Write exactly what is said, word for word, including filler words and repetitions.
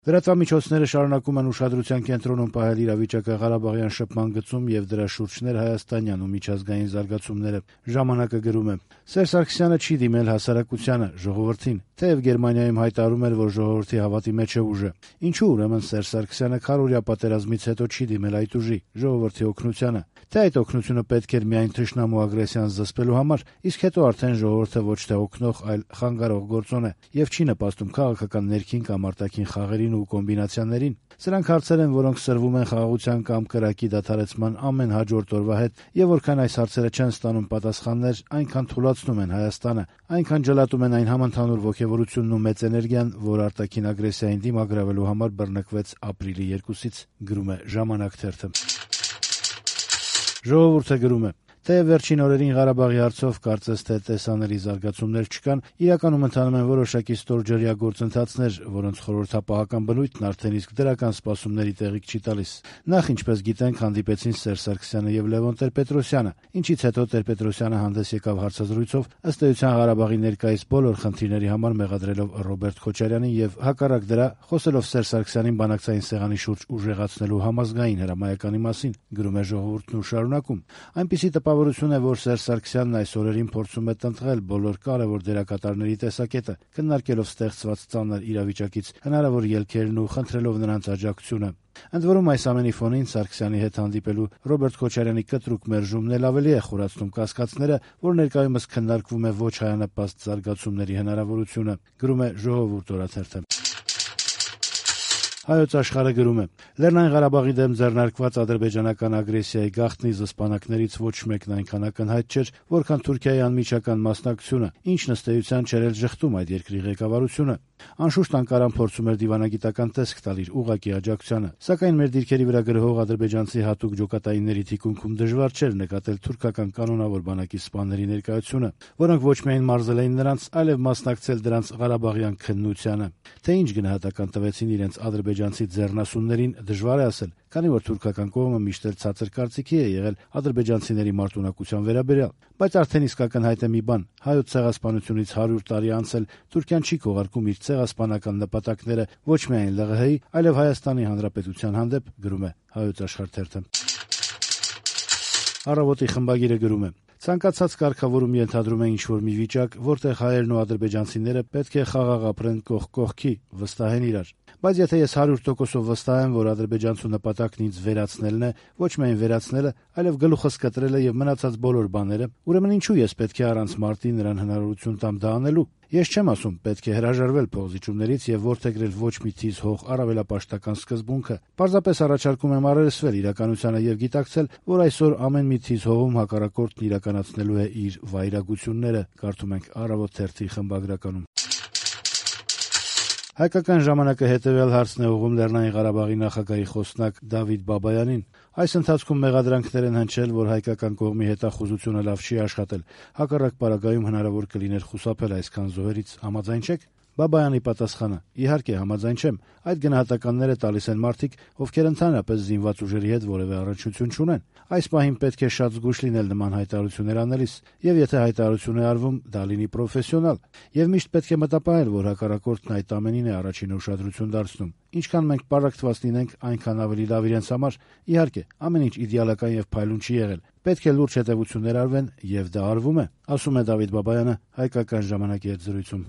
Լրատվամիջոցները շարունակում են ուշադրության կենտրոնում պահել իրավիճակը Ղարաբաղյան շփման գծում եւ դրա շուրջ ներհայաստանյան ու միջազգային զարգացումները։ «Ժամանակ»-ը գրում է. Սերժ Սարգսյանը չի դիմել հասարակությանը, ժողովրդին, թեև Գերմանիայում հայտարարում էր, որ ժողովրդի հավատի մեջ է ուժը։ Ինչու ուրեմն Սերժ Սարգսյանը քառօրյա պատերազմից հետո չի դիմել այդ ուժի՝ ժողովրդի օգնությանը։ Թե այդ օգնությունը պետք էր միայն թշնամու ագրեսիան զսպելու համար, իսկ հետո արդեն ժողովուրդը ոչ թե օգնող, այլ խանգարող գործոն է եւ չի նպաստում քաղաքական ներքին կամ արտաքին խաղերին ու կոմբինացիաներին։ Սրանք հարցեր են, որոնք սրվում են խաղաղության կամ կրակի դադարեցման ամեն հաջորդ օրվա հետ, եւ որքան այս հարցերը չեն ստանում պատասխաններ, այնքան թուլացնում են Հայաստանը, այնքան ջլատում են այն համընդհանուր ոգևորությունն ու մեծ էներգիան, որ արտաքին ագրեսիային դիմագրավելու համար բռնկվեց ապրիլի երկուսից, գրում է «Ժամանակ» թերթը։ «Ժողովուրդ»-ը գրում է. Թեև վերջին օրերին Ղարաբաղի հարցով կարծես թե տեսանելի զարգացումներ չկան, իրականում ընթանում են որոշակի ստորջրյա գործընթացներ, որոնց խորհրդապահական բնույթն արդեն իսկ դրական սպասումների տեղիք չի տալիս։ Նախ, ինչպես գիտենք, հանդիպեցին Սերժ Սարգսյանը եւ Լևոն Տեր-Պետրոսյանը, ինչից հետո Տեր-Պետրոսյանը հանդես եկավ հարցազրույցով, ըստ էության Ղարաբաղի ներկայիս բոլոր խնդիրների համար մեղադրելով Ռոբերտ Քոչարյանին եւ հակառակ դրա խոսելով Սերժ Սարգսյանին բանակցային սեղանի շուրջ ուժեղացնելու համազգային հրամայականի մասին, գրում է «Ժողովուրդն» ու շարունակում. Այնպիսի տպավորություն է, որ Սերժ Սարգսյանն այս օրերին փորձում է տնտղել բոլոր կարևոր դերակատարների տեսակետը, քննարկելով ստեղծված ծանր իրավիճակից հնարավոր ելքերն ու խնդրելով նրանց աջակցությունը։ Ընդ որում, այս ամենի ֆոնին Սարգսյանի հետ հանդիպելու Ռոբերտ Քոչարյանի կտրուկ մերժումն էլ ավելի է խորացնում կասկածները, որ ներկայումս քննարկվում է ոչ հայանպաստ զարգացումների հնարավորությունը, գրում է «Ժողովուրդ» օրաթերթը։ Հայոց Աշխարհը գրում է. Լեռնային Ղարաբաղի դեմ ձեռնարկված ադրբեջանական ագրեսիայի գաղտնի զսպանակներից ոչ մեկն այնքան ակնհայտ չէր, որքան Թուրքիայի անմիջական մասնակցությունը, ինչն ըստ էության չէր էլ ժխտում այդ երկրի ղեկավարությունը։ Անշուշտ Անկարան փորձում էր դիվանագիտական տեսք տալ իր ուղղակի աջակցությանը, սակայն մեր դիրքերի վրա գրողող ադրբեջանցի հատուկ ջոկատայինների թիկունքում դժվար չէր նկատել թուրքական կանոնավոր բանակի սպաների ներկայությունը, որոնք ոչ միայն մարզել էին նրանց, այլև մասնակցել դրանց Ղարաբաղյան քննությանը։ Թե ինչ գնահատական տվեցին իրենց ադրբեջանցի ձեռնասուններին, դժվար է ասել, քանի որ թուրքական կողմը միշտ էլ ցածր կարծիքի է եղել ադրբեջանցիների մարտունակության վերաբերյալ, բայց արդեն իսկ ակնհայտ է մի բան. հայոց ցեղասպանությունից հարյուր տարի անցել Թուրքիան չի քողարկում իր ցեղասպանական նպատակները ոչ միայն ԼՂՀ-ի, այլև Հայաստանի Հանրապետության հանդեպ, գրում է Հայոց Աշխարհ թերթը։ Առավոտի խմբագիրը գրում է. Ցանկացած կարգավորում ենթադրում է ինչ-որ մի վիճակ, որտեղ հայերն ու ադրբեջանցիները պետք է խաղաղ ապրեն կողք կողքի, վստահեն իրար։ Բայց եթե ես հարյուր տոկոսով վստահ եմ, որ ադրբեջանցու նպատակն ինձ վերացնելն է, ոչ միայն վերացնելը, այլև գլուխս կտրելը եւ մնացած բոլոր բաները, ուրեմն ինչու ես պետք է առանց մարտի նրան հնարավորություն տամ դա անելու։ Ես չեմ ասում պետք է հրաժարվել փողզիջումներից եւ որդեգրել ոչ մի թիզ հող առավելապաշտական սկզբունքը։ Պարզապես առաջարկում եմ առերեսվել իրականությանը եւ գիտակցել, որ այսօր ամեն մի թիզ հողում հակառակորդն իրականացնելու է իր վայրագությունները, կարդում ենք Առավոտ թերթի խմբագրականում։ Հայկական ժամանակը հետևյալ հարցն է ուղղում Լեռնային Ղարաբաղի նախագահի խոսնակ Դավիթ Բաբայանին։ Այս ընթացքում մեղադրանքներ են հնչել, որ հայկական կողմի հետախուզությունը լավ չի աշխատել, հակառակ պարագայում հնարավոր կլիներ խուսափել այսքան զոհերից, համաձայն չեք։ Բաբայանի պատասխանը. Իհարկե համաձայն չեմ, այդ գնահատականները տալիս են մարդիկ, ովքեր ընդհանրապես զինված ուժերի հետ որևէ առնչություն չունեն։ Այս պահին պետք է շատ զգույշ լինել նման հայտարարություններ անելիս, եւ եթե հայտարարություն է արվում, դա լինի պրոֆեսիոնալ, եւ միշտ պետք է մտապահել, որ հակառակորդն այդ ամենին է առաջին ուշադրություն դարձնում։ Ինչքան մենք պարակտված լինենք, այնքան ավելի լավ իրենց համար։ Իհարկե, ամեն ինչ իդեալական եւ փայլուն չի եղել։ Պետք է լուրջ հետևություններ արվեն, եւ դա արվում է, ասում է Դավիթ Բաբայանը Հայկական ժամանակի հետ զրույցում։